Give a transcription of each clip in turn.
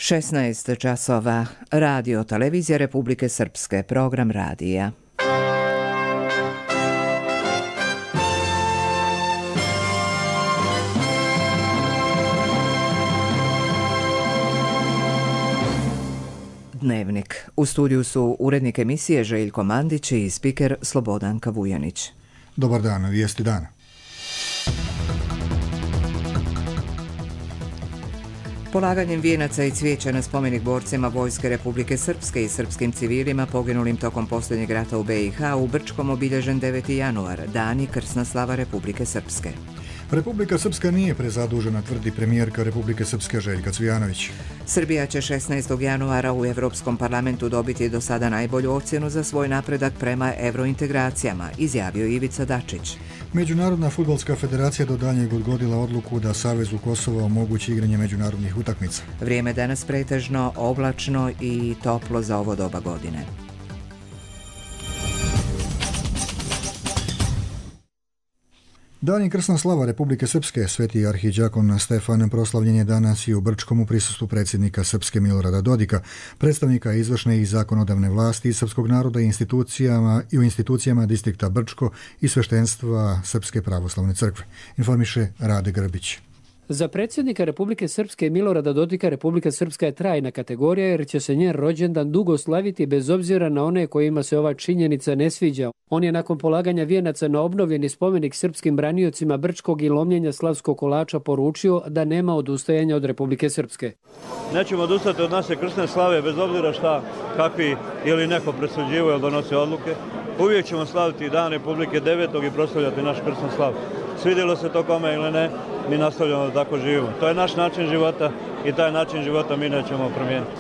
16 časova. Radio Televizija Republike Srpske. Program radija. Dnevnik. U studiju su urednik emisije Željko Mandić i spiker Slobodanka Vujanić. Dobar dan, vijesti dana. Polaganjem vijenaca i cvijeća na spomenik borcima Vojske Republike Srpske i srpskim civilima poginulim tokom posljednjeg rata u BiH u Brčkom obilježen 9. januar, dan i krsna slava Republike Srpske. Republika Srpska nije prezadužena, tvrdi premijerka Republike Srpske Željka Cvijanović. Srbija će 16. januara u Europskom parlamentu dobiti do sada najbolju ocjenu za svoj napredak prema eurointegracijama, izjavio Ivica Dačić. Međunarodna fudbalska federacija do daljnjeg odgodila odluku da Savezu Kosova omogući igranje međunarodnih utakmica. Vrijeme danas pretežno oblačno i toplo za ovo doba godine. Dan i krsna slava Republike Srpske, sveti arhidžakon Stefan proslavljen je danas i u Brčkom u prisustvu predsjednika Srpske Milorada Dodika, predstavnika izvršne i zakonodavne vlasti srpskog naroda i u institucijama distrikta Brčko i sveštenstva Srpske pravoslavne crkve, informiše Rade Grbić. Za predsjednika Republike Srpske Milorada Dodika Republika Srpska je trajna kategorija jer će se njen rođendan dugo slaviti bez obzira na one kojima se ova činjenica ne sviđa. On je nakon polaganja vijenaca na obnovljeni spomenik srpskim braniocima Brčkog i lomljenja slavskog kolača poručio da nema odustajanja od Republike Srpske. Nećemo odustati od naše krsne slave bez obzira šta, kakvi ili neko presuđivo ili donosi odluke. Uvijek ćemo slaviti dan Republike 9. i proslavljati naš krsnu slavu. Svidjelo se to kome ili ne, mi nastavljamo da tako živimo. To je naš način života i taj način života mi nećemo promijeniti.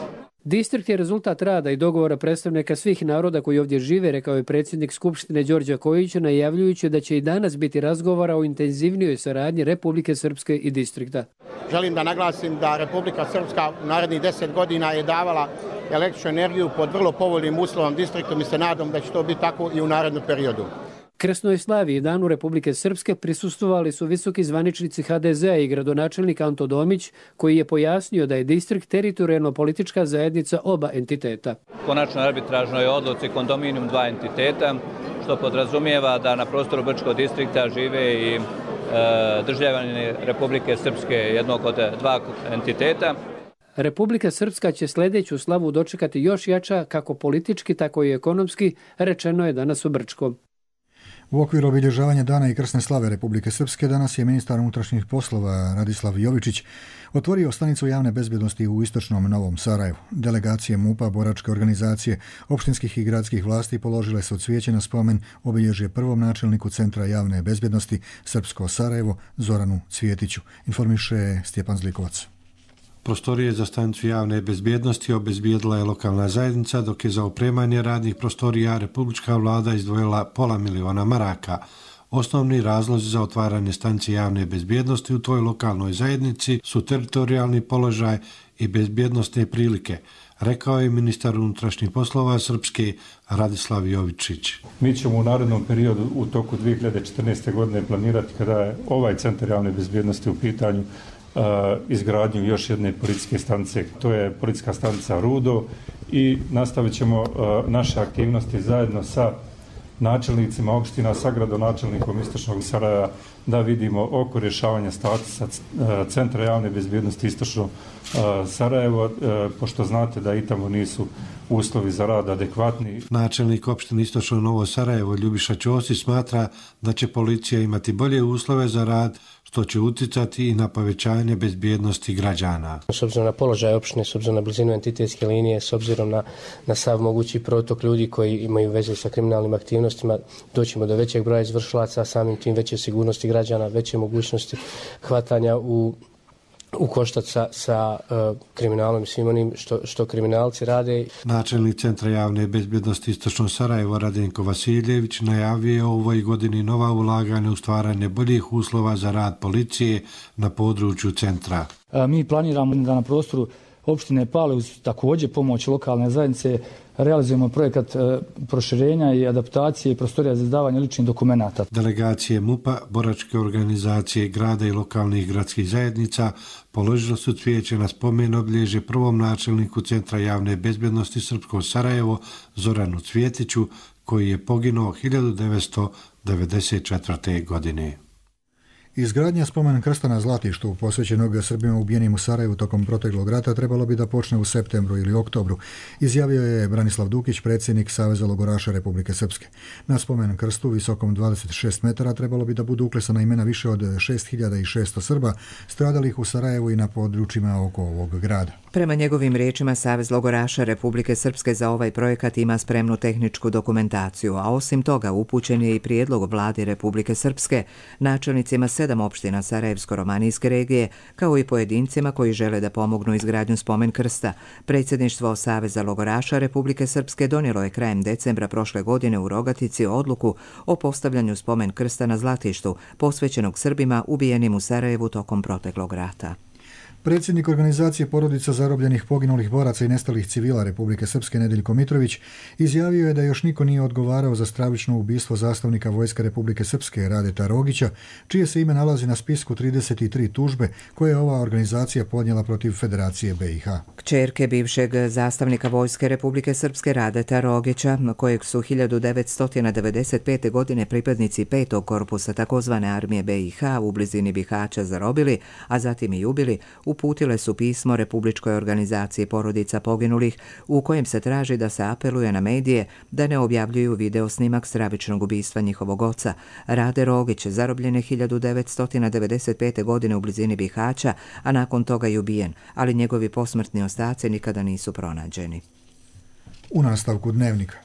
Distrikt je rezultat rada i dogovora predstavnika svih naroda koji ovdje žive, rekao je predsjednik Skupštine Đorđe Kojić, najavljujući da će i danas biti razgovora o intenzivnijoj saradnji Republike Srpske i distrikta. Želim da naglasim da Republika Srpska u narednih 10 godina je davala električnu energiju pod vrlo povoljnim uslovom distriktom i se nadam da će to biti tako i u narednom periodu. Krsnoj slavi i danu Republike Srpske prisustvovali su visoki zvaničnici HDZ-a i gradonačelnik Anto Domić, koji je pojasnio da je distrikt teritorijalno-politička zajednica oba entiteta. Konačno arbitražnoj odluci kondominijum dva entiteta, što podrazumijeva da na prostoru Brčkog distrikta žive i državljani Republike Srpske, jednog od dva entiteta. Republika Srpska će sljedeću slavu dočekati još jača, kako politički, tako i ekonomski, rečeno je danas u Brčkom. U okviru obilježavanja dana i krsne slave Republike Srpske danas je ministar unutrašnjih poslova Radislav Jovičić otvorio stanicu javne bezbjednosti u istočnom Novom Sarajevu. Delegacije MUP-a, boračke organizacije, opštinskih i gradskih vlasti položile su cvijeće na spomen obilježje prvom načelniku Centra javne bezbjednosti Srpsko Sarajevo Zoranu Cvjetiću, informiše Stjepan Zlikovac. Prostorije za stanicu javne bezbjednosti obezbijedila je lokalna zajednica, dok je za opremanje radnih prostorija republička vlada izdvojila $500.000 maraka. Osnovni razlozi za otvaranje stanice javne bezbjednosti u toj lokalnoj zajednici su teritorijalni položaj i bezbjednostne prilike, rekao je ministar unutrašnjih poslova Srpske Radislav Jovičić. Mi ćemo u narednom periodu u toku 2014. godine planirati, kada je ovaj centar javne bezbjednosti u pitanju, izgradnju još jedne policijske stanice. To je policijska stanica Rudo i nastavit ćemo naše aktivnosti zajedno sa načelnicima opština, sa gradonačelnikom Istočnog Sarajeva da vidimo oko rješavanja statusa Centra javne bezbjednosti Istočno Sarajevo, pošto znate da i tamo nisu uslovi za rad adekvatni. Načelnik opštine Istočno Novo Sarajevo Ljubiša Ćosić smatra da će policija imati bolje uslove za rad, što će uticati i na povećanje bezbjednosti građana. S obzirom na položaj opštine, s obzirom na blizinu entitetske linije, s obzirom na sav mogući protok ljudi koji imaju veze sa kriminalnim aktivnostima, doćemo do većeg broja izvršilaca, samim tim veće sigurnosti građana, veće mogućnosti hvatanja u koštac sa kriminalom i svim onim što kriminalci rade. Načelnik Centra javne bezbjednosti Istočno Sarajevo Radenko Vasiljević najavio u ovoj godini nova ulaganja u stvaranje boljih uslova za rad policije na području centra. Mi planiramo da na prostoru opštine Pale uz također pomoć lokalne zajednice realizujemo projekat proširenja i adaptacije prostorija za izdavanje ličnih dokumenata. Delegacije MUP-a, boračke organizacije grada i lokalnih gradskih zajednica položilo su cvijeće na spomen obilježje prvom načelniku Centra javne bezbjednosti Srpskog Sarajevo Zoranu Cvjetiću, koji je poginuo 1994. godine. Izgradnja spomen krsta na Zlatištu, posvećenog Srbima ubijenim u Sarajevu tokom proteklog rata, trebalo bi da počne u septembru ili oktobru, izjavio je Branislav Dukić, predsjednik Saveza logoraša Republike Srpske. Na spomen krstu, visokom 26 metara, trebalo bi da budu uklesana imena više od 6600 Srba stradalih u Sarajevu i na područjima oko ovog grada. Prema njegovim riječima, Savez logoraša Republike Srpske za ovaj projekat ima spremnu tehničku dokumentaciju, a osim toga upućen je i prijedlog vladi Republike Srpske, načelnicima 7 opština Sarajevsko-romanijske regije, kao i pojedincima koji žele da pomognu izgradnju spomen krsta. Predsjedništvo Saveza logoraša Republike Srpske donijelo je krajem decembra prošle godine u Rogatici odluku o postavljanju spomen krsta na Zlatištu, posvećenog Srbima ubijenim u Sarajevu tokom proteklog rata. Predsjednik organizacije porodica zarobljenih poginulih boraca i nestalih civila Republike Srpske Nedeljko Mitrović izjavio je da još niko nije odgovarao za stravično ubistvo zastavnika Vojske Republike Srpske Radeta Rogića, čije se ime nalazi na spisku 33 tužbe koje je ova organizacija podnijela protiv Federacije BiH. Kćerke bivšeg zastavnika Vojske Republike Srpske Radeta Rogića, kojeg su 1995. godine pripadnici 5. korpusa takozvane armije BiH u blizini Bihaća zarobili, a zatim i ubili, uputile su pismo Republičkoj organizaciji porodica poginulih u kojem se traži da se apeluje na medije da ne objavljuju video snimak stravičnog ubistva njihovog oca. Rade Rogić zarobljen je 1995. godine u blizini Bihaća, a nakon toga je ubijen, ali njegovi posmrtni ostaci nikada nisu pronađeni. U nastavku dnevnika.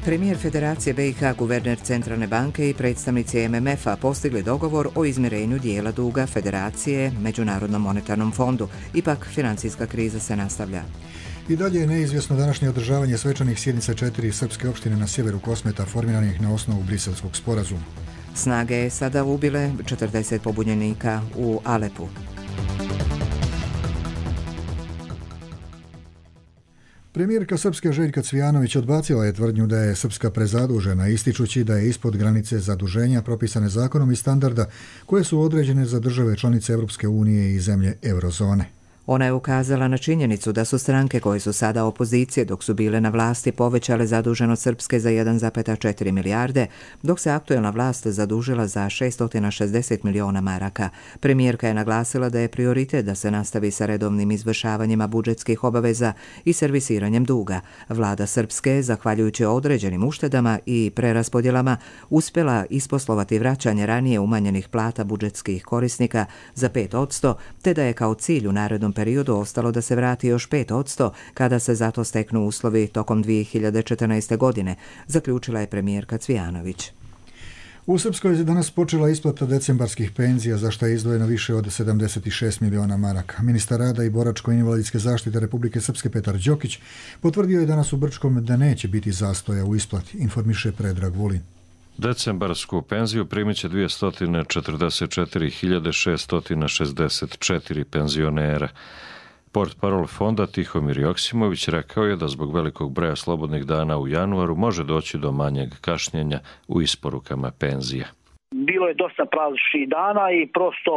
Premijer Federacije BiH, guverner Centralne banke i predstavnici MMF-a postigli dogovor o izmirenju dijela duga Federacije Međunarodnom monetarnom fondu. Ipak, financijska kriza se nastavlja. I dalje je neizvjesno današnje održavanje svečanih sjednica 4 srpske opštine na sjeveru Kosmeta formiranih na osnovu Briselskog sporazuma. Snage je sada ubile 40 pobunjenika u Alepu. Premijerka Srpske Željka Cvijanović odbacila je tvrdnju da je Srpska prezadužena, ističući da je ispod granice zaduženja propisane zakonom i standarda koje su određene za države članice Europske unije i zemlje eurozone. Ona je ukazala na činjenicu da su stranke koje su sada opozicije dok su bile na vlasti povećale zaduženost Srpske za 1,4 milijarde, dok se aktuelna vlast zadužila za 660 miliona maraka. Premijerka je naglasila da je prioritet da se nastavi sa redovnim izvršavanjima budžetskih obaveza i servisiranjem duga. Vlada Srpske, zahvaljujući određenim uštedama i preraspodjelama, uspjela isposlovati vraćanje ranije umanjenih plata budžetskih korisnika za 5%, te da je kao cilj u narednom periodu ostalo da se vrati još 5% kada se zato steknu uslovi tokom 2014. godine, zaključila je premijerka Cvijanović. U Srpskoj je danas počela isplata decembarskih penzija, za što je izdvojeno više od 76 miliona maraka. Ministar rada i boračko-invalidske zaštite Republike Srpske Petar Đokić potvrdio je danas u Brčkom da neće biti zastoja u isplati, informiše Predrag Vulin. Decembarsku penziju primit će 244.664 penzionera. Portparol fonda Tihomir Joksimović rekao je da zbog velikog broja slobodnih dana u januaru može doći do manjeg kašnjenja u isporukama penzija. Bilo je dosta prazničnih dana i prosto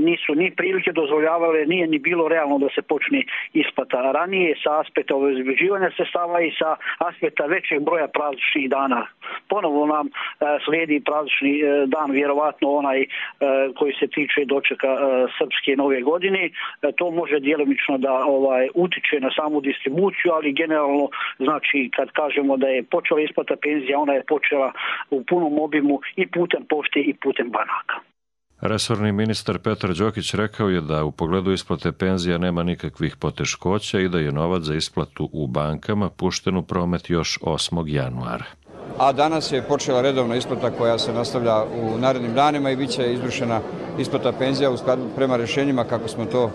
nisu ni prilike dozvoljavale, nije ni bilo realno da se počne isplata ranije sa aspekta obezbeđivanja sredstava i sa aspekta većeg broja prazničnih dana. Ponovo nam slijedi praznični dan, vjerovatno onaj koji se tiče dočeka srpske nove godine. To može djelomično da utiče na samu distribuciju, ali generalno, znači, kad kažemo da je počela isplata penzija, ona je počela u punom obimu i putem pošte i putem banaka. Resorni ministar Petar Đokić rekao je da u pogledu isplate penzija nema nikakvih poteškoća i da je novac za isplatu u bankama pušten u promet još 8. januara. A danas je počela redovna isplata koja se nastavlja u narednim danima i bit će izvršena isplata penzija u skladu prema rješenjima kako smo to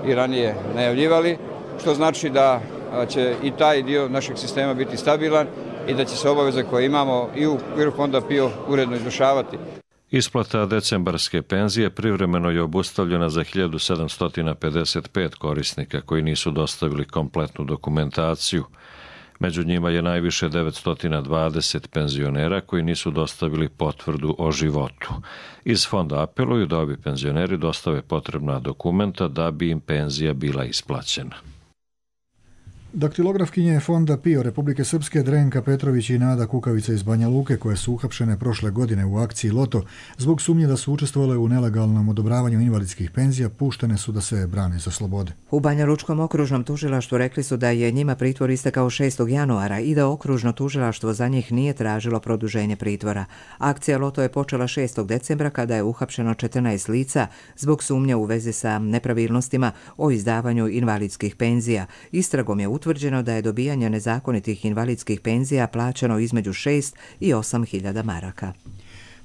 i ranije najavljivali, što znači da će i taj dio našeg sistema biti stabilan i da će se obaveze koje imamo i u okviru fonda PIO uredno izvršavati. Isplata decembarske penzije privremeno je obustavljena za 1755 korisnika koji nisu dostavili kompletnu dokumentaciju. Među njima je najviše 920 penzionera koji nisu dostavili potvrdu o životu. Iz fonda apeluju da ovi penzioneri dostave potrebna dokumenta da bi im penzija bila isplaćena. Daktilografkinje fonda PIO Republike Srpske Drenka Petrović i Nada Kukavica iz Banja Luke, koje su uhapšene prošle godine u akciji Loto zbog sumnje da su učestvovale u nelegalnom odobravanju invalidskih penzija, puštene su da se brane za slobode. U Banja Lučkom okružnom tužilaštvu rekli su da je njima pritvor istekao 6. januara i da okružno tužilaštvo za njih nije tražilo produženje pritvora. Akcija Loto je počela 6. decembra kada je uhapšeno 14 lica zbog sumnje u vezi sa nepravilnostima o izdavanju invalidskih penzija. Istragom je utvrđeno da je dobijanje nezakonitih invalidskih penzija plaćano između 6 i 8 hiljada maraka.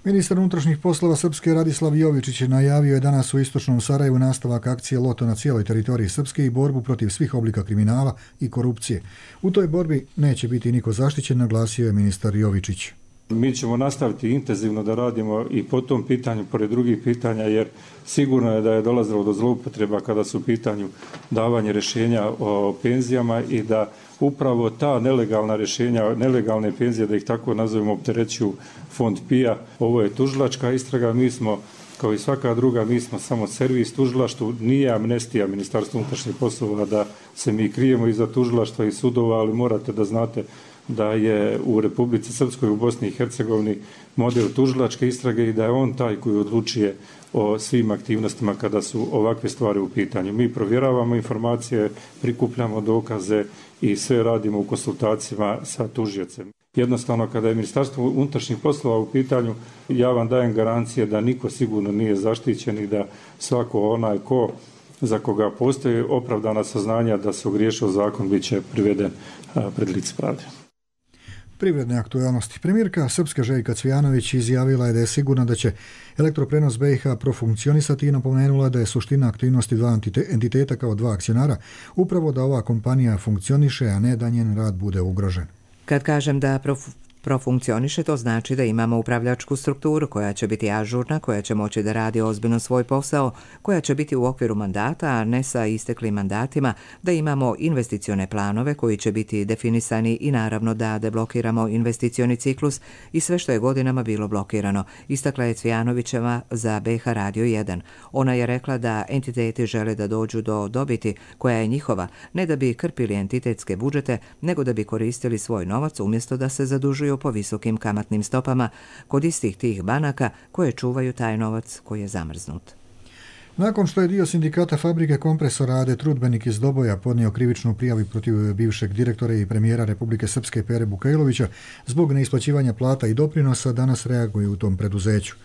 Ministar unutrašnjih poslova Srpske Radislav Jovičić najavio je danas u istočnom Sarajevu nastavak akcije Loto na cijeloj teritoriji Srpske i borbu protiv svih oblika kriminala i korupcije. U toj borbi neće biti niko zaštićen, naglasio je ministar Jovičić. Mi ćemo nastaviti intenzivno da radimo i po tom pitanju, pored drugih pitanja, jer sigurno je da je dolazilo do zloupotreba kada su u pitanju davanje rješenja o penzijama i da upravo ta nelegalna rješenja, nelegalne penzije, da ih tako nazovemo, opterećuju fond PIA. Ovo je tužilačka istraga, mi smo, kao i svaka druga, mi smo samo servis tužilaštvu, nije amnestija Ministarstva unutrašnjih poslova da se mi krijemo iza tužilaštva i sudova, ali morate da znate da je u Republici Srpskoj, u Bosni i Hercegovini model tužilačke istrage i da je on taj koji odlučuje o svim aktivnostima kada su ovakve stvari u pitanju. Mi provjeravamo informacije, prikupljamo dokaze i sve radimo u konsultacijama sa tužiocem. Jednostavno, kada je Ministarstvo unutrašnjih poslova u pitanju, ja vam dajem garancije da niko sigurno nije zaštićen i da svako onaj ko za koga postoji opravdana saznanja da se ogriješio zakon bit će priveden pred lice pravde. Privredne aktualnosti. Premijerka Srpske Željka Cvijanović izjavila je da je sigurna da će elektroprenos BiH profunkcionisati i napomenula da je suština aktivnosti dva entiteta kao dva akcionara upravo da ova kompanija funkcioniše, a ne da njen rad bude ugrožen. Kad kažem da profunkcioniše, to znači da imamo upravljačku strukturu koja će biti ažurna, koja će moći da radi ozbiljno svoj posao, koja će biti u okviru mandata, a ne sa isteklim mandatima, da imamo investicione planove koji će biti definisani i naravno da deblokiramo investicioni ciklus i sve što je godinama bilo blokirano, istakla je Cvijanovićeva za BiH Radio 1. Ona je rekla da entiteti žele da dođu do dobiti koja je njihova, ne da bi krpili entitetske budžete, nego da bi koristili svoj novac umjesto da se zadužuju po visokim kamatnim stopama kod istih tih banaka koje čuvaju taj novac koji je zamrznut. Nakon što je dio sindikata fabrike kompresora AD Trudbenik iz Doboja podnio krivičnu prijavu protiv bivšeg direktora i premijera Republike Srpske Pere Bukajlovića zbog neisplaćivanja plata i doprinosa, danas reaguju u tom preduzeću.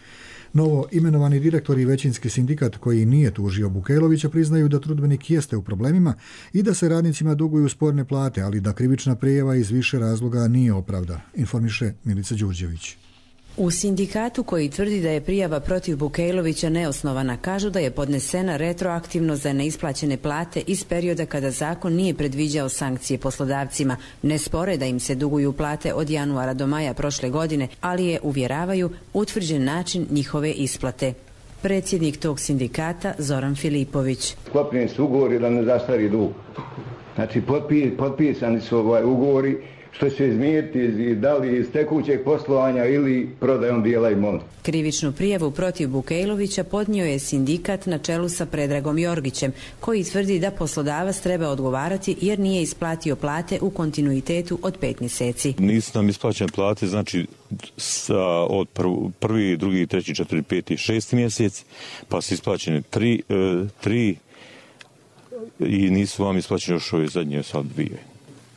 Novo imenovani direktor i većinski sindikat koji nije tužio Bukajlovića priznaju da Trudbenik jeste u problemima i da se radnicima duguju sporne plate, ali da krivična prijava iz više razloga nije opravdana, informiše Milica Đurđević. U sindikatu koji tvrdi da je prijava protiv Bukajlovića neosnovana, kažu da je podnesena retroaktivno za neisplaćene plate iz perioda kada zakon nije predviđao sankcije poslodavcima. Ne spore da im se duguju plate od januara do maja prošle godine, ali je, uvjeravaju, utvrđen način njihove isplate. Predsjednik tog sindikata Zoran Filipović. Sklopljeni su ugovori da ne zastari dug. Znači potpisani su ugovori što će izmijeti da li iz tekućeg poslovanja ili prodajom dijela imovine. Krivičnu prijavu protiv Bukajlovića podnio je sindikat na čelu sa Predragom Jorgićem, koji tvrdi da poslodavac treba odgovarati jer nije isplatio plate u kontinuitetu od 5 mjeseci. Nisu nam isplaćene plate, znači od 1., 2., 3., 4., 5., 6. mjesec, pa su isplaćene 3 i nisu vam isplaćene još ove zadnje sad 2.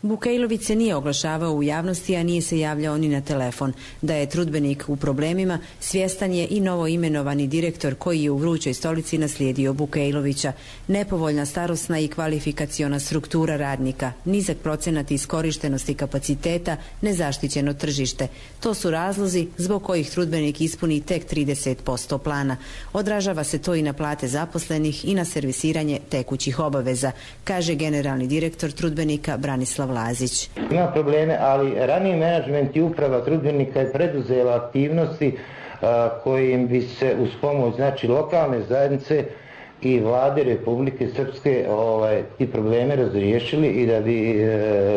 Bukajlović se nije oglašavao u javnosti, a nije se javljao ni na telefon. Da je Trudbenik u problemima, svjestan je i novo imenovani direktor koji je u vrućoj stolici naslijedio Bukajlovića. Nepovoljna starosna i kvalifikaciona struktura radnika, nizak procenat iskorištenosti kapaciteta, nezaštićeno tržište. To su razlozi zbog kojih Trudbenik ispuni tek 30% plana. Odražava se to i na plate zaposlenih i na servisiranje tekućih obaveza, kaže generalni direktor Trudbenika Branislav Lazić. Ima probleme, ali raniji menadžment i uprava Trudbenika je preduzela aktivnosti kojim bi se uz pomoć znači lokalne zajednice i vlade Republike Srpske ti probleme razriješili i da bi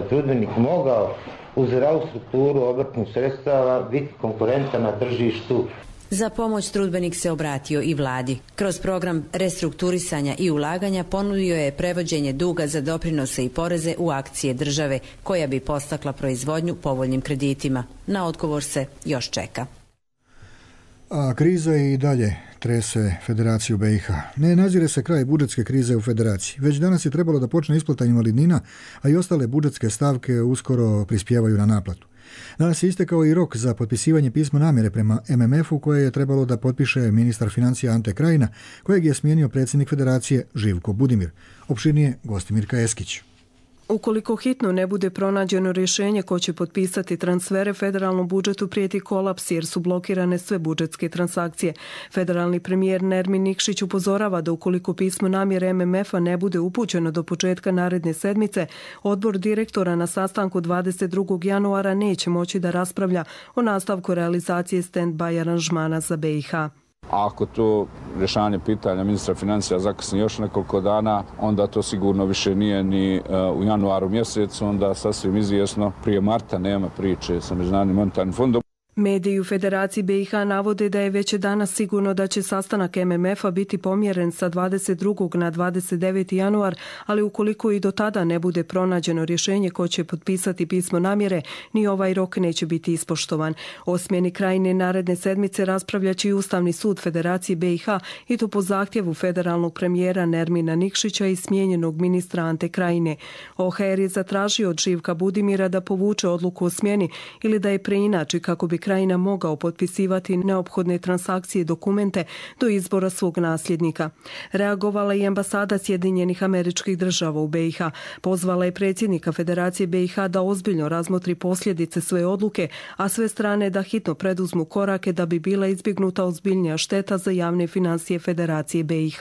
trudbenik mogao uz zdravu strukturu obrtnih sredstava biti konkurentan na tržištu. Za pomoć trudbenik se obratio i vladi. Kroz program restrukturisanja i ulaganja ponudio je prevođenje duga za doprinose i poreze u akcije države, koja bi podstakla proizvodnju povoljnim kreditima. Na odgovor se još čeka. A kriza i dalje trese Federaciju BiH. Ne nazire se kraj budžetske krize u Federaciji. Već danas je trebalo da počne isplata invalidnina, a i ostale budžetske stavke uskoro prispijevaju na naplatu. Danas je istekao i rok za potpisivanje pisma namjere prema MMF-u koje je trebalo da potpiše ministar financija Ante Krajina, kojeg je smijenio predsjednik Federacije Živko Budimir. Opširnije Gostimirka Eskić. Ukoliko hitno ne bude pronađeno rješenje ko će potpisati transfere, federalnom budžetu prijeti kolaps jer su blokirane sve budžetske transakcije. Federalni premijer Nermin Nikšić upozorava da ukoliko pismo namjere MMF-a ne bude upućeno do početka naredne sedmice, odbor direktora na sastanku 22. januara neće moći da raspravlja o nastavku realizacije stand-by aranžmana za BiH. Ako to rješavanje pitanja ministra financija zakasni još nekoliko dana, onda to sigurno više nije ni u januaru mjesecu, onda sasvim izvjesno prije marta nema priče sa Međunarodnim monetarnim fondom. Mediji u Federaciji BiH navode da je već danas sigurno da će sastanak MMF-a biti pomjeren sa 22. na 29. januar, ali ukoliko i do tada ne bude pronađeno rješenje ko će potpisati pismo namjere, ni ovaj rok neće biti ispoštovan. O smjeni Krajine naredne sedmice raspravljaće i Ustavni sud Federacije BiH i to po zahtjevu federalnog premijera Nermina Nikšića i smijenjenog ministra Ante Krajine. OHR je zatražio od Živka Budimira da povuče odluku o smjeni ili da je preinači kako bi Krajina mogao potpisivati neophodne transakcije i dokumente do izbora svog nasljednika. Reagovala i ambasada Sjedinjenih Američkih Država u BiH. Pozvala je predsjednika Federacije BiH da ozbiljno razmotri posljedice svoje odluke, a sve strane da hitno preduzmu korake da bi bila izbjegnuta ozbiljnija šteta za javne financije Federacije BiH.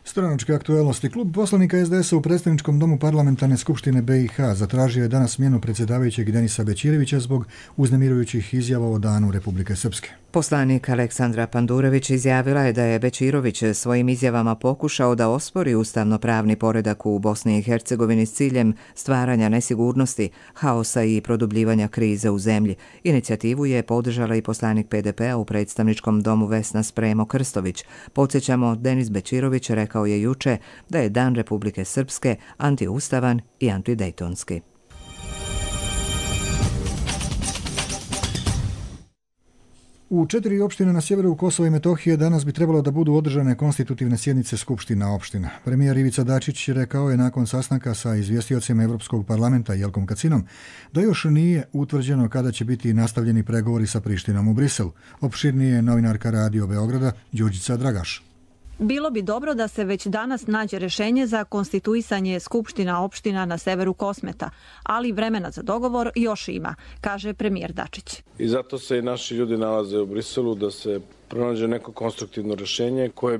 Stranačke aktuelnosti. Klub poslanika SDS-a u predstavničkom domu parlamentarne skupštine BiH zatražio je danas smjenu predsjedavajućeg Denisa Bećirevića zbog uznemirujućih izjava o danu Republike Srpske. Poslanik Aleksandra Pandurević izjavila je da je Bećirović svojim izjavama pokušao da ospori ustavno-pravni poredak u Bosni i Hercegovini s ciljem stvaranja nesigurnosti, haosa i produbljivanja krize u zemlji. Inicijativu je podržala i poslanik PDP-a u predstavničkom domu Vesna Spremo Krstović. Podsjećamo, Denis Bećirović rekao je juče da je Dan Republike Srpske antiustavan i antidejtonski. U 4 opštine na sjeveru Kosova i Metohije danas bi trebalo da budu održane konstitutivne sjednice skupština opština. Premijer Ivica Dačić rekao je nakon sastanka sa izvjestiocima Evropskog parlamenta Jelkom Kacinom da još nije utvrđeno kada će biti nastavljeni pregovori sa Prištinom u Briselu. Opširnije novinarka Radio Beograda Đurđica Dragaš. Bilo bi dobro da se već danas nađe rješenje za konstituisanje skupština opština na severu Kosmeta, ali vremena za dogovor još ima, kaže premijer Dačić. I zato se i naši ljudi nalaze u Briselu da se pronađe neko konstruktivno rješenje koje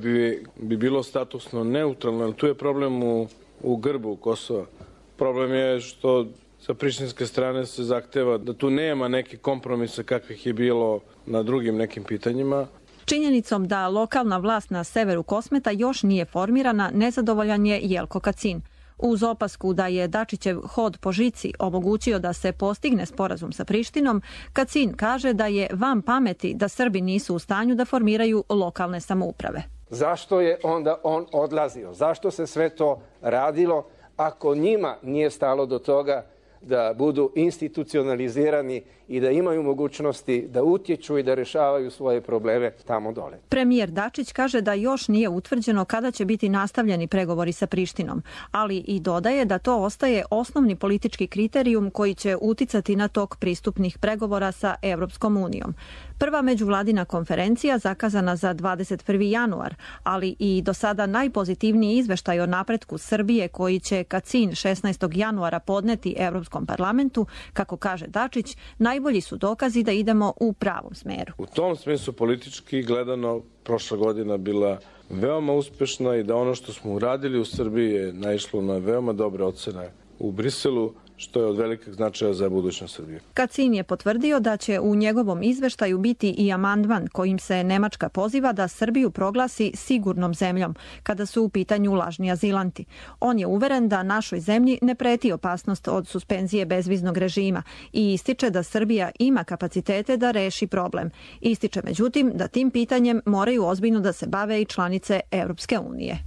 bi bilo statusno neutralno. Tu je problem u grbu Kosova. Problem je što sa prištinske strane se zahteva da tu nema neki kompromisa kakvih je bilo na drugim nekim pitanjima. Činjenicom da lokalna vlast na severu Kosmeta još nije formirana, nezadovoljan je Jelko Kacin. Uz opasku da je Dačićev hod po žici omogućio da se postigne sporazum sa Prištinom, Kacin kaže da je van pameti da Srbi nisu u stanju da formiraju lokalne samouprave. Zašto je onda on odlazio? Zašto se sve to radilo ako njima nije stalo do toga da budu institucionalizirani i da imaju mogućnosti da utječu i da rješavaju svoje probleme tamo dole. Premijer Dačić kaže da još nije utvrđeno kada će biti nastavljeni pregovori sa Prištinom, ali i dodaje da to ostaje osnovni politički kriterijum koji će uticati na tok pristupnih pregovora sa Evropskom unijom. Prva međuvladina konferencija zakazana za 21. januar, ali i do sada najpozitivniji izveštaj o napretku Srbije koji će Kacin 16. januara podneti Evropskom parlamentu, kako kaže Dačić, najbolji su dokazi da idemo u pravom smeru. U tom smislu politički gledano prošla godina bila veoma uspešna i da ono što smo uradili u Srbiji je naišlo na veoma dobre ocene u Briselu, što je od velikog značaja za budućnost Srbije. Kacin je potvrdio da će u njegovom izveštaju biti i amandman kojim se Nemačka poziva da Srbiju proglasi sigurnom zemljom kada su u pitanju lažni azilanti. On je uveren da našoj zemlji ne preti opasnost od suspenzije bezviznog režima i ističe da Srbija ima kapacitete da reši problem. Ističe međutim da tim pitanjem moraju ozbiljno da se bave i članice Europske unije.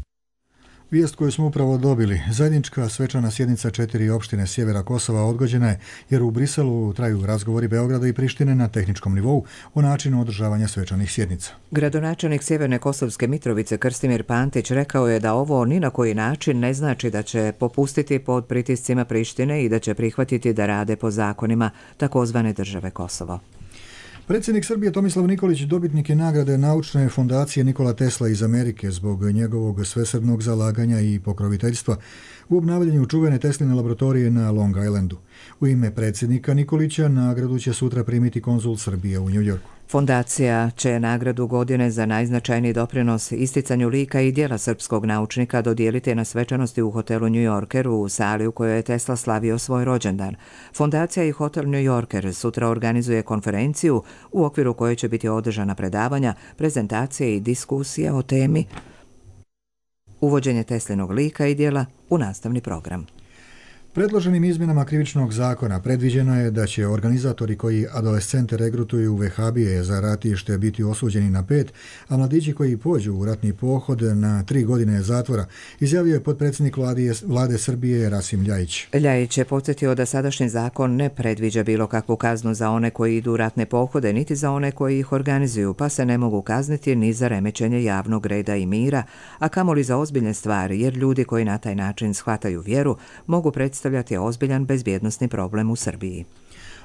Vijest koju smo upravo dobili. Zajednička svečana sjednica 4 opštine sjevera Kosova odgođena je jer u Briselu traju razgovori Beograda i Prištine na tehničkom nivou o načinu održavanja svečanih sjednica. Gradonačelnik Sjeverne Kosovske Mitrovice Krstimir Pantić rekao je da ovo ni na koji način ne znači da će popustiti pod pritiscima Prištine i da će prihvatiti da rade po zakonima takozvane države Kosovo. Predsjednik Srbije Tomislav Nikolić dobitnik je nagrade Naučne fondacije Nikola Tesla iz Amerike zbog njegovog svesrdnog zalaganja i pokroviteljstva u obnavljanju čuvene Tesline laboratorije na Long Islandu. U ime predsjednika Nikolića nagradu će sutra primiti konzul Srbije u New Yorku. Fondacija će nagradu godine za najznačajniji doprinos isticanju lika i djela srpskog naučnika dodijeliti na svečanosti u hotelu New Yorker u sali u kojoj je Tesla slavio svoj rođendan. Fondacija i hotel New Yorker sutra organizuje konferenciju u okviru koje će biti održana predavanja, prezentacije i diskusije o temi uvođenje Teslinog lika i djela u nastavni program. Predloženim izmjenama krivičnog zakona predviđeno je da će organizatori koji adolescente regrutuju u vehabije za ratište biti osuđeni na 5, a mladići koji pođu u ratni pohod na 3 godine zatvora, izjavio je potpredsjednik vlade Srbije Rasim Ljajić. Ljajić je podsjetio da sadašnji zakon ne predviđa bilo kakvu kaznu za one koji idu u ratne pohode, niti za one koji ih organizuju, pa se ne mogu kazniti ni za remećenje javnog reda i mira, a kamoli za ozbiljne stvari, jer ljudi koji na taj način shvataju vjeru mogu predstaviti ozbiljan bezbjednosni problem u Srbiji.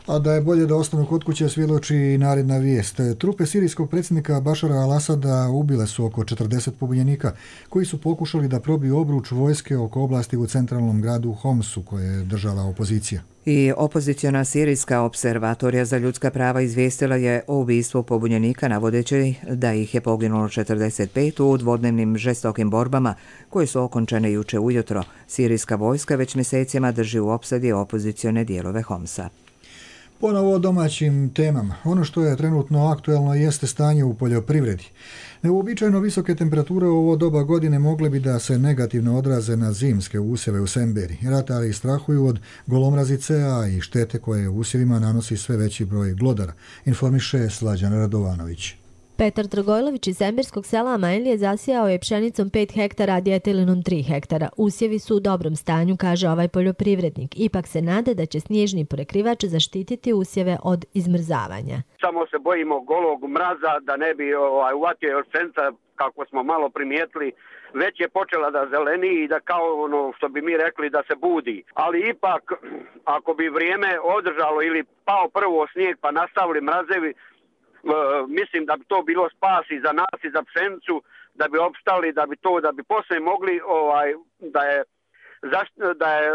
A da je bolje da ostanu kod kuće svjedoči i naredna vijest. Trupe sirijskog predsjednika Bašara al-Asada ubile su oko 40 pobunjenika koji su pokušali da probiju obruč vojske oko oblasti u centralnom gradu Homsu koje je držala opozicija. I opoziciona sirijska observatorija za ljudska prava izvijestila je o ubistvu pobunjenika navodeći da ih je poginulo 45 u dvodnevnim žestokim borbama koje su okončane juče ujutro. Sirijska vojska već mjesecima drži u opsadi opozicione dijelove Homsa. Ponovo o domaćim temama. Ono što je trenutno aktuelno jeste stanje u poljoprivredi. Neuobičajeno visoke temperature u ovo doba godine mogle bi da se negativno odraze na zimske usjeve u Semberi. Ratari strahuju od golomrazice, a i štete koje usjevima nanosi sve veći broj glodara, informiše Slađan Radovanović. Petar Dragojlović iz Semberskog sela Amajlije zasijao je pšenicom 5 hektara, a djetelinom 3 hektara. Usjevi su u dobrom stanju, kaže ovaj poljoprivrednik. Ipak se nade da će snježni prekrivač zaštititi usjeve od izmrzavanja. Samo se bojimo golog mraza da ne bi uvatio još pšenica, kako smo malo primijetili, već je počela da zeleni i da kao ono što bi mi rekli da se budi. Ali ipak, ako bi vrijeme održalo ili pao prvo snijeg pa nastavili mrazevi, mislim da bi to bilo spas i za nas i za pšenicu, da bi opstali, da bi poslije mogli da je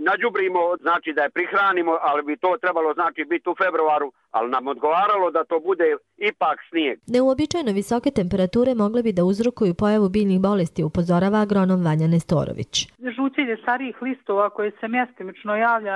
nađubrimo, znači da je prihranimo, ali bi to trebalo znači biti u februaru, ali nam odgovaralo da to bude ipak snijeg. Neuobičajeno visoke temperature mogle bi da uzrokuju pojavu biljnih bolesti, upozorava agronom Vanja Nestorović. Žućenje starijih listova koje se mjestimično javlja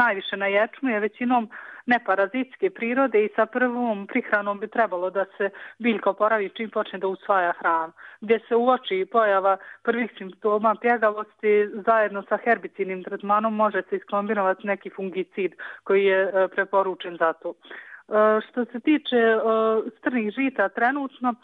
najviše na ječmu je većinom neparazitske prirode i sa prvom prihranom bi trebalo da se biljka oporavi čim počne da usvaja hranu. Gdje se uoči pojava prvih simptoma pjegavosti, zajedno sa herbicidnim tretmanom može se iskombinovati neki fungicid koji je preporučen za to. Što se tiče strnih žita trenutno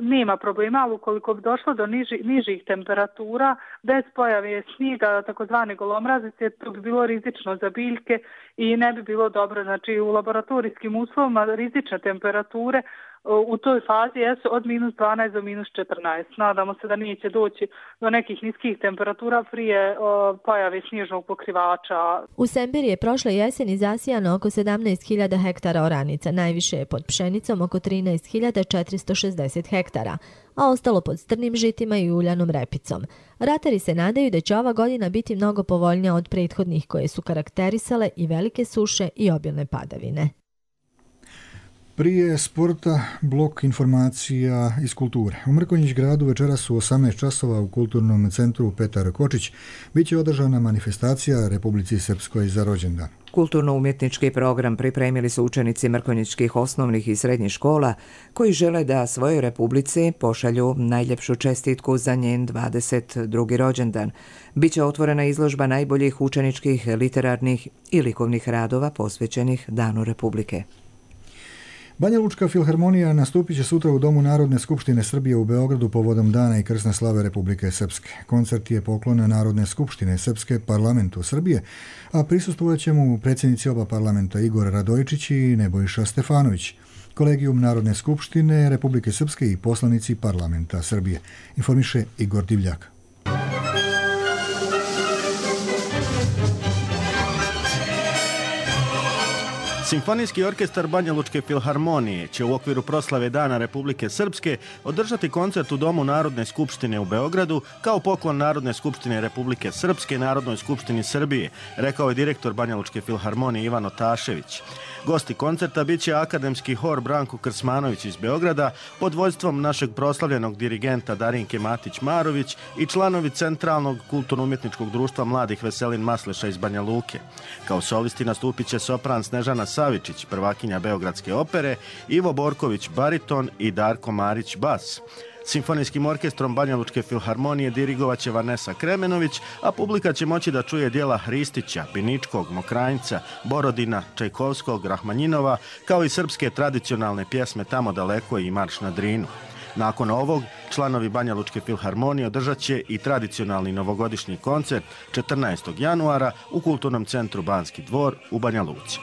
nema problema, ali ukoliko bi došlo do nižih temperatura bez pojave snijega, takozvane golomrazice, to bi bilo rizično za biljke i ne bi bilo dobro. Znači u laboratorijskim uslovima rizične temperature u toj fazi jesu od -12 do -14. Nadamo se da neće doći do nekih niskih temperatura prije pojave snježnog pokrivača. U Semberi je prošle jeseni zasijano oko 17.000 hektara oranica. Najviše je pod pšenicom oko 13.460 hektara, a ostalo pod strnim žitima i uljanom repicom. Ratari se nadaju da će ova godina biti mnogo povoljnija od prethodnih koje su karakterisale i velike suše i obilne padavine. Prije sporta, blok informacija iz kulture. U Mrkonjić gradu večeras su 18 časova u kulturnom centru Petar Kočić biće održana manifestacija Republici Srpskoj za rođendan. Kulturno-umjetnički program pripremili su učenici mrkonjičkih osnovnih i srednjih škola koji žele da svojoj Republici pošalju najljepšu čestitku za njen 22. rođendan. Biće otvorena izložba najboljih učeničkih, literarnih i likovnih radova posvećenih Danu Republike. Banja Lučka filharmonija nastupit će sutra u Domu Narodne skupštine Srbije u Beogradu povodom Dana i krsne slave Republike Srpske. Koncert je poklon Narodne skupštine Srpske parlamentu Srbije, a prisustvovat će mu predsjednici oba parlamenta Igor Radojičić i Nebojša Stefanović, Kolegijum Narodne skupštine Republike Srpske i poslanici parlamenta Srbije, informiše Igor Divljak. Simfonijski orkestar Banja Lučke filharmonije će u okviru proslave Dana Republike Srpske održati koncert u Domu Narodne skupštine u Beogradu kao poklon Narodne skupštine Republike Srpske Narodnoj skupštini Srbije, rekao je direktor Banja Lučke filharmonije Ivan Otašević. Gosti koncerta bit će akademski hor Branko Krsmanović iz Beograda pod vođstvom našeg proslavljenog dirigenta Darinke Matić-Marović i članovi Centralnog kulturno-umjetničkog društva mladih Veselin Masleša iz Banja Luke. Kao solisti nastupit će sopran Snežana Savičić, prvakinja Beogradske opere, Ivo Borković bariton i Darko Marić bas. Simfonijskim orkestrom Banja Lučke filharmonije dirigovat će Vanesa Kremenović, a publika će moći da čuje dijela Hristića, Biničkog, Mokranjca, Borodina, Čajkovskog, Rahmanjinova, kao i srpske tradicionalne pjesme Tamo daleko i Marš na Drinu. Nakon ovog, članovi Banja Lučke filharmonije održat će i tradicionalni novogodišnji koncert 14. januara u Kulturnom centru Banski dvor u Banja Luci.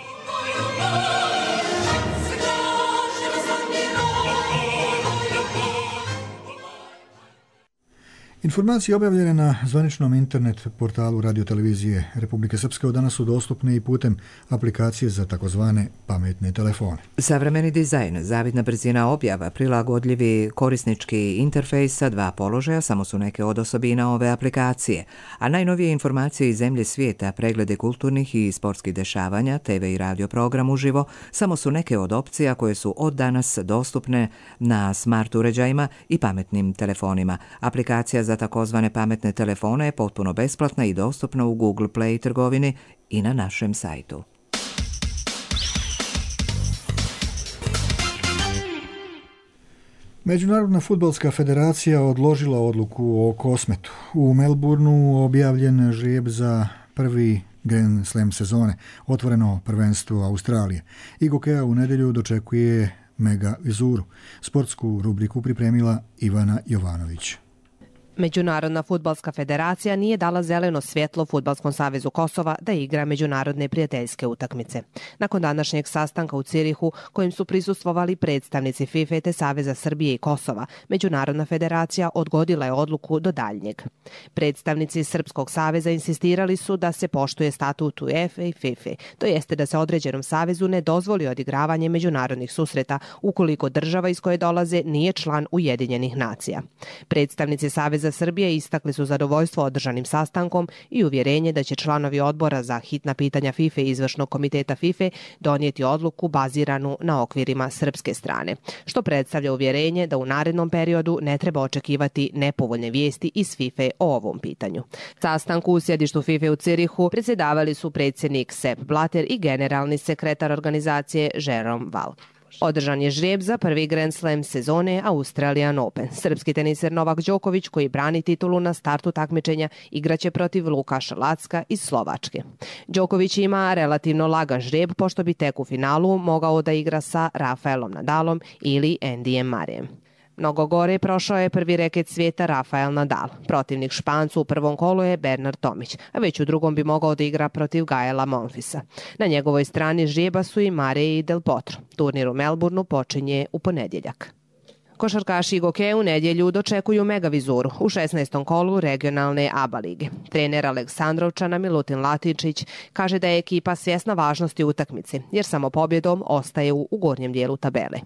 Informacije objavljene na zvaničnom internet portalu radiotelevizije Republike Srpske od danas su dostupne i putem aplikacije za takozvane pametne telefone. Savremeni dizajn, zavidna brzina objava, prilagodljivi korisnički interfejs sa 2 položaja samo su neke od osobina ove aplikacije, a najnovije informacije iz zemlje svijeta, preglede kulturnih i sportskih dešavanja, TV i radio program uživo samo su neke od opcija koje su od danas dostupne na smart uređajima i pametnim telefonima. Aplikacija za takozvane pametne telefone je potpuno besplatna i dostupna u Google Play trgovini i na našem sajtu. Međunarodna fudbalska federacija odložila odluku o Kosmetu. U Melbourneu objavljen žrijeb za prvi Grand Slam sezone, otvoreno prvenstvo Australije. Igokea u nedjelju dočekuje Mega Vizuru. Sportsku rubriku pripremila Ivana Jovanović. Međunarodna fudbalska federacija nije dala zeleno svjetlo Fudbalskom savezu Kosova da igra međunarodne prijateljske utakmice. Nakon današnjeg sastanka u Cirihu, kojim su prisustvovali predstavnici FIFA te Saveza Srbije i Kosova, Međunarodna federacija odgodila je odluku do daljnjeg. Predstavnici Srpskog saveza insistirali su da se poštuje statut UEFA i FIFA, to jeste da se određenom savezu ne dozvoli odigravanje međunarodnih susreta ukoliko država iz koje dolaze nije član Ujedinjenih nacija. Predstavnici Saveza Srbije istakli su zadovoljstvo održanim sastankom i uvjerenje da će članovi odbora za hitna pitanja FIFA i izvršnog komiteta FIFA donijeti odluku baziranu na okvirima srpske strane, što predstavlja uvjerenje da u narednom periodu ne treba očekivati nepovoljne vijesti iz FIFA o ovom pitanju. Sastanku u sjedištu FIFA u Cirihu predsjedavali su predsjednik Sepp Blatter i generalni sekretar organizacije Jerome Val. Održan je žrijeb za prvi Grand Slam sezone Australian Open. Srpski teniser Novak Đoković, koji brani titulu na startu takmičenja, igraće protiv Lukaša Lacka iz Slovačke. Đoković ima relativno lagan žrijeb, pošto bi tek u finalu mogao da igra sa Rafaelom Nadalom ili Andyjem Murrayem. Mnogo gore prošao je prvi reket svijeta Rafael Nadal. Protivnik Špancu u prvom kolu je Bernard Tomić, a već u drugom bi mogao da igra protiv Gaela Monfilsa. Na njegovoj strani žrijeba su i Murray i Del Potro. Turnir u Melbourneu počinje u ponedjeljak. Košarkaši Igoke u nedjelju dočekuju Mega Vizuru u 16. kolu regionalne ABA lige. Trener Aleksandrovčana Milutin Latičić kaže da je ekipa svjesna važnosti utakmice, jer samo pobjedom ostaje u gornjem dijelu tabele.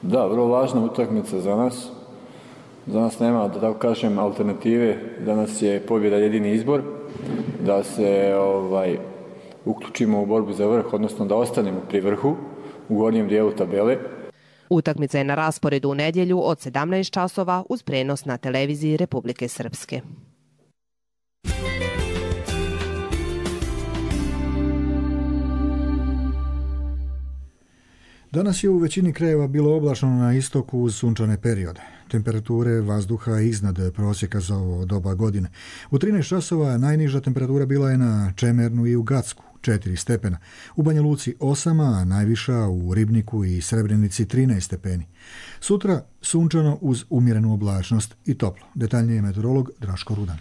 Da, vrlo važna utakmica za nas. Za nas nema, da tako kažem, alternative. Danas je pobjeda jedini izbor. Da se uključimo u borbu za vrh, odnosno da ostanemo pri vrhu. u gornjem dijelu tabele. Utakmica je na rasporedu u nedjelju od 17 časova uz prenos na televiziji Republike Srpske. Danas je u većini krajeva bilo oblačno na istoku uz sunčane periode. Temperature vazduha iznad prosjeka za ovo doba godine. U 13 časova najniža temperatura bila je na Čemernu i u Gacku, 4 stepena. U Banja Luci 8, a najviša u Ribniku i Srebrenici 13 stepeni. Sutra sunčano uz umjerenu oblačnost i toplo. Detaljnije meteorolog Draško Rudan.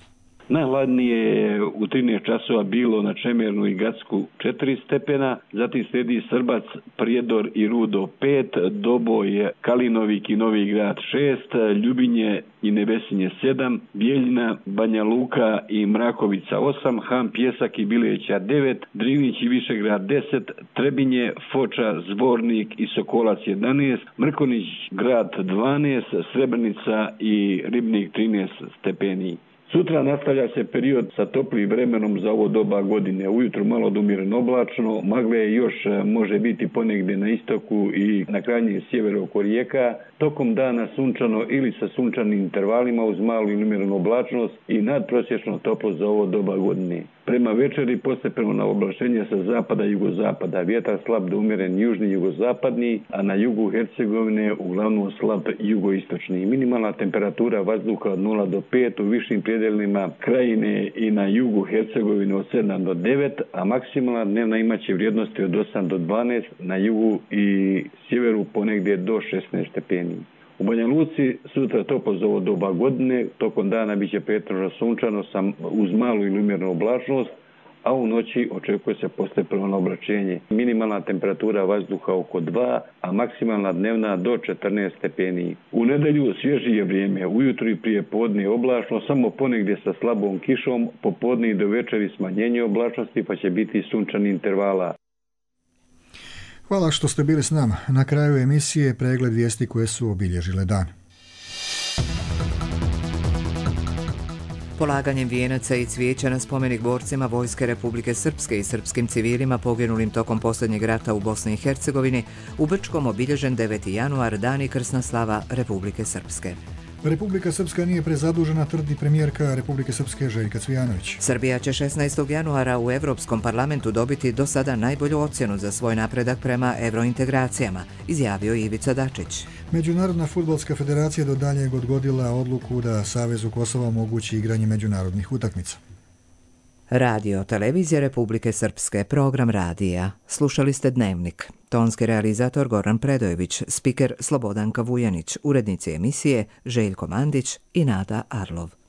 Najhladnije je u 13 časova bilo na Čemernu i Gacku 4 stepena, zatim slijedi Srbac, Prijedor i Rudo 5, Doboj, Kalinovik i Novi Grad 6, Ljubinje i Nevesinje 7, Bijeljina, Banja Luka i Mrakovica 8, Ham, Pjesak i Bileća 9, Drinić i Višegrad 10, Trebinje, Foča, Zvornik i Sokolac 11, Mrkonić Grad 12, Srebrenica i Ribnik 13 stepeni. Sutra nastavlja se period sa toplim vremenom za ovo doba godine. Ujutru malo umjereno oblačno, magle još može biti ponegdje na istoku i na krajnjem sjeveru oko rijeka. Tokom dana sunčano ili sa sunčanim intervalima uz malu i umjerenu oblačnost i nadprosječno toplo za ovo doba godine. Prema večeri postepeno na oblačenje sa zapada i jugozapada. Vjetar slab do umjeren južni i jugozapadni, a na jugu Hercegovine uglavnom slab jugoistočni. Minimalna temperatura vazduha od 0 do 5 u višim predjelima Krajine i na jugu Hercegovine od 7 do 9, a maksimalna dnevna imaće vrijednosti od 8 do 12, na jugu i sjeveru ponegdje do 16 stepeni. U Banja Luci sutra toplo za ovo doba godine, tokom dana bit će pretežno sunčano uz malu ili umjerenu oblačnost, a u noći očekuje se postepeno oblačenje. Minimalna temperatura vazduha oko 2, a maksimalna dnevna do 14 stepeni. U nedjelju svježije vrijeme, ujutru i prije podne oblačno, samo ponegdje sa slabom kišom, popodne i do večeri smanjenje oblačnosti pa će biti sunčani intervala. Hvala što ste bili s nama. Na kraju emisije pregled vijesti koje su obilježile dan. Polaganjem vijenaca i cvijeća na spomenik borcima Vojske Republike Srpske i srpskim civilima poginulim tokom posljednjeg rata u Bosni i Hercegovini, u Brčkom obilježen 9. januar, dan i krsna slava Republike Srpske. Republika Srpska nije prezadužena, tvrdi premijerka Republike Srpske Željka Cvijanović. Srbija će 16. januara u Europskom parlamentu dobiti do sada najbolju ocjenu za svoj napredak prema eurointegracijama, izjavio Ivica Dačić. Međunarodna fudbalska federacija do daljnjeg odgodila odluku da Savezu Kosova omogući igranje međunarodnih utakmica. Radio Televizija Republike Srpske, program radija. Slušali ste Dnevnik. Tonski realizator Goran Predojević, spiker Slobodanka Vujanić, urednici emisije Željko Mandić i Nada Arlov.